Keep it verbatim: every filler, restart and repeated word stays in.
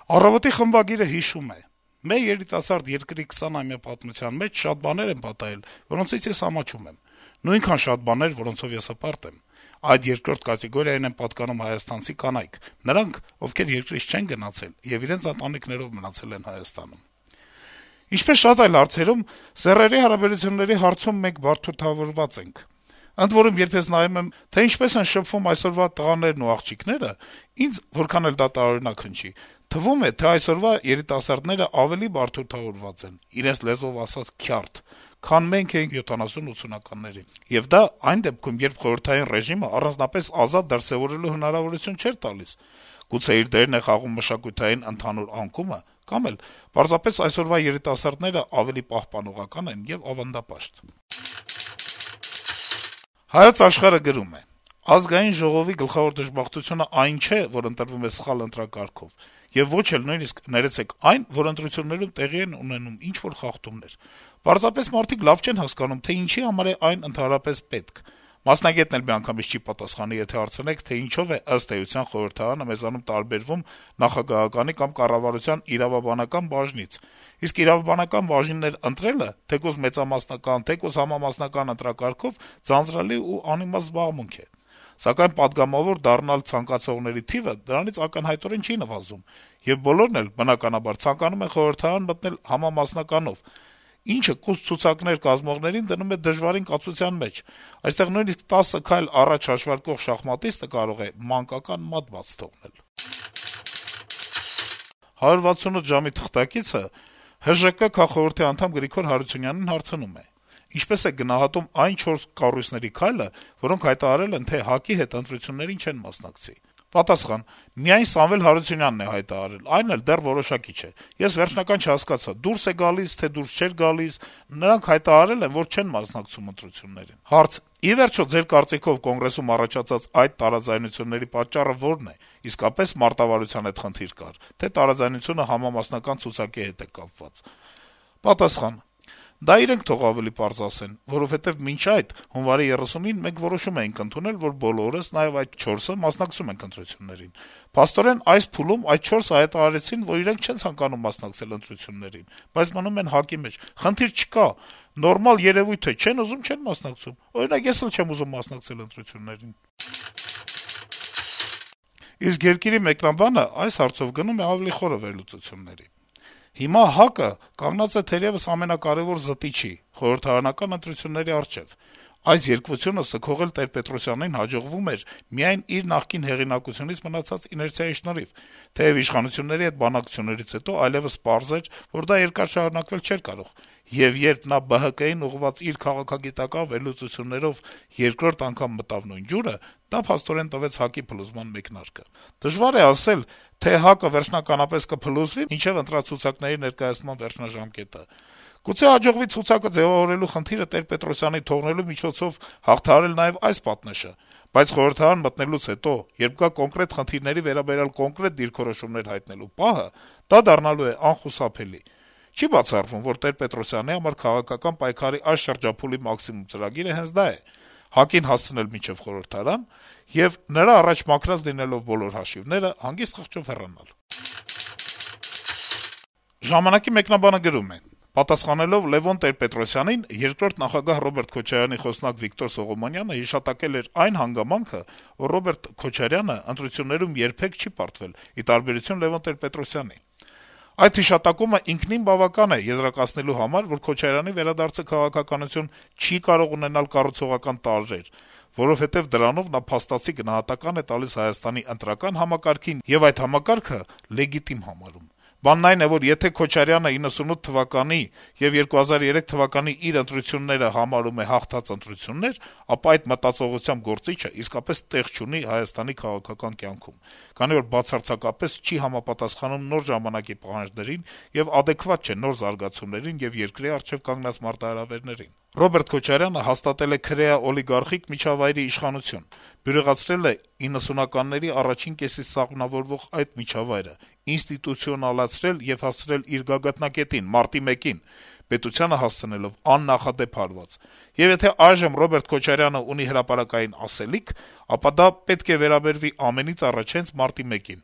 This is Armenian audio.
«Առավոտ»-ի խմբագիրը հիշում է. - «Մեր երիտասարդ երկրի քսանամյա պատմության մեջ շատ բաներ են պատահել, որոնցից ես ամաչում եմ: Նույնքան շատ բաներ, որոնցով ես հպարտ եմ: Այդ երկրորդ կատեգորիային են պատկանում հայաստանցի կանայք, նրանք, ովքեր երկրից չեն գնացել եւ իրենց ընտանիքներով մնացել են Հայաստանում: Ինչպես շատ այլ հարցերում, սեռերի հարաբերությունների հարցում մենք բարդությամբ ենք: Ընդ որում, երբ ես նայում եմ, թե ինչպես են շփվում այսօրվա տղաներն ու աղջիկները, ինձ, որքան էլ դա տարօրինակ հնչի, թվում է, թե այսօրվա երիտասարդները ավելի բարդությամբ են, իրենց լեզվով ասած` քյարթ, քան մենք էինք յոթանասուն-ութսունականներին: Եվ դա այն դեպքում, երբ խորհրդային ռեժիմը առանձնապես ազատ դրսեւորելու հնարավորություն չէր տալիս: Գուցե իր դերն է խաղում մշակութային ընդհանուր անկումը, կամ էլ պարզապես այսօրվա երիտասարդներն ավելի պահպանողական են եւ ավանդապաշտ»: «Հայոց Աշխարհ»-ը գրում է. - «Ազգային ժողովի գլխավոր դժբախտությունը այն չէ, որ ընտրվում է սխալ ընտրակարգով, եւ ոչ էլ նույնիսկ, ներեցեք, այն, որ ընտրություններում տեղի են ունենում ինչ-որ խախտումներ: Պարզապես մարդիկ լավ չեն հասկանում, թե ինչի համար է այն ընդհանրապես պետք: Մասնագետն էլ միանգամից չի պատասխանի, եթե հարցնեք, թե ինչով է, ըստ էության, խորհրդարանը մեզանում տարբերվում նախագահականի կամ կառավարության իրավաբանական բաժնից: Իսկ իրավաբանական բաժիններ ընտրելը, թեկուզ մեծամասնական, թեկուզ համամասնական ընտրակարգով, ձանձրալի ու անիմաստ զբաղմունք է: Սակայն պատգամավոր դառնալ ցանկացողների թիվը դրանից ակնհայտորեն չի նվազում, եւ բոլորն էլ, բնականաբար, ցանկանում են խորհրդարան մտնել համամասնականով, ինչը կուստ ցուցակներ կազմողներին դնում է դժվարին կացության մեջ: Այստեղ նույնիսկ տասը քայլ առաջ հաշվարկող շախմատիստը կարող է մանկական մատ բաց թողնել»: «հարյուր վաթսունութ ժամ»-ի թղթակիցը ՀԺԿ քաղխորհրդի անդամ Գրիգոր Հարությունյանին հարցնում է. - «Ինչպե՞ս եք գնահատում այն չորս կառույցների քայլը, որոնք հայտարարել են, թե ՀԱԿ-ի հետ ընտրություններին չեն մասնակցի»: Պատասխան. - «Միայն Սամվել Հարությունյանն է հայտարարել, այն էլ դեռ որոշակի չէ: Ես վերջնական չհասկացա` դուրս է գալիս, թե դուրս չէր գալիս: Նրանք հայտարարել են, որ չեն մասնակցում ընտրություններին»: Հարց. - «Ի վերջո, ձեր կարծիքով Կոնգրեսում առաջացած այդ տարաձայնությունների պատճառը ո՞րն է: Իսկապե՞ս մարտավարության հետ խնդիր կար, թե տարաձայնությունը համամասնական ցուցակի հետ է կապված»: Պատասխան. - «Դա իրենք թող ավելի պարզ ասեն, որովհետեւ մինչ այդ` հունվարի երեսունին, մենք որոշում էինք ընդունել, որ բոլորս, նաեւ այդ չորսը, մասնակցում ենք ընտրություններին: Փաստորեն, այս փուլում այդ չորսը հայտարարեցին, որ իրենք չեն ցանկանում մասնակցել ընտրություններին, բայց մնում են ՀԱԿ-ի մեջ: Խնդիր չկա, նորմալ երեւույթ է, չեն ուզում, չեն մասնակցում: Օրինակ, ես էլ չեմ ուզում մասնակցել ընտրություններին»: Իսկ «Երկիր»-ի մեկնաբանը այս հարցով գնում է ավելի խորը վերլուծությունների. - «Հիմա ՀԱԿ-ը կանգնած է թերեւս ամենակարեւոր զտիչի` խորհրդարանական ընտրությունների առջեւ: Այս երկվությունը սգողել Տեր-Պետրոսյանին հաջողվում էր միայն իր նախկին հեղինակությունից մնացած իներցիայի շնորհիվ: Թեեւ իշխանությունների հետ բանակցություններից հետո այլեւս պարզ էր, որ դա երկար շարունակվել չէր կարող, եւ երբ նա Бэ Հ Կ-ին ուղղված իր քաղաքագիտական վերլուծություններով երկրորդ անգամ մտավ նույն ջուրը, դա փաստորեն տվեց ՀԱԿ-ի փլուզման մեկնարկը: Դժվար է ասել, թե ՀԱԿ-ը վերջնականապես կփլուզվի մինչեւ ընտրացուցակների ներկայացման վերջնաժամկետը: Գուցե հաջողվի ցուցակը ձեւավորելու խնդիրը Տեր-Պետրոսյանին թողնելու միջոցով հաղթահարել նաեւ այս պատնեշը: Բայց խորհրդարան մտնելուց հետո, երբ գա կոնկրետ խնդիրների վերաբերյալ կոնկրետ դիրքորոշումներ հայտնելու պահը, դա դառնալու է անխուսափելի: Չի բացառվում, որ Տեր-Պետրոսյանի համար քաղաքական պայքարի այս շրջափուլի մաքսիմում ծրագիրը հենց դա է` ՀԱԿ-ին հասցնել մինչեւ խորհրդարան եւ, նրա առաջ մաքրած լինելով բոլոր հաշիվները, հանգիստ խղճով հեռանալ»: «Ժամանակ»-ի մեկնաբանը գրում է. - «Պատասխանելով Լեւոն Տեր-Պետրոսյանին, երկրորդ նախագահ Ռոբերտ Քոչարյանի խոսնակ Վիկտոր Սողոմոնյանը հիշատակել էր այն հանգամանքը, որ Ռոբերտ Քոչարյանը ընտրություններում երբեք չի պարտվել, ի տարբերություն Լեւոն Տեր-Պետրոսյանի: Այդ հիշատակումը ինքնին բավական է եզրակացնելու համար, որ Քոչարյանի վերադարձը քաղաքականություն չի կարող ունենալ կառուցողական տարրեր, որովհետեւ դրանով նա փաստացի գնահատական է տալիս Հայաստանի ընտրական համակարգին եւ այդ համակարգը լեգիտիմ համարում: Բանն այն է, որ եթե Քոչարյանը իննսունութ թվականի եւ երկու հազար երեք թվականի իր ընտրությունները համարում է հաղթած ընտրություններ, ապա այդ մտածողությամբ գործիչը իսկապես տեղ չունի Հայաստանի քաղաքական կյանքում, քանի որ բացարձակապես չի համապատասխանում նոր ժամանակի պահանջներին եւ ադեկվատ չէ նոր զարգացումներին եւ երկրի առջեւ կանգնած մարտահրավերներին: Ռոբերտ Քոչարյանը հաստատել է քրեա-օլիգարխիկ միջավայրի իշխանություն, բյուրեղացրել է իննսունականների առաջին կեսից սահմանավորվող այդ միջավայրը, ինստիտուցիոնալացրել եւ հասցրել իր գագաթնակետին` մարտի մեկին, պետությանը հասցնելով աննախադեպ հարված: Եվ եթե այժմ Ռոբերտ Քոչարյանը ունի հրապարակային ասելիք, ապա դա պետք է վերաբերվի ամենից առաջ հենց մարտի մեկին»: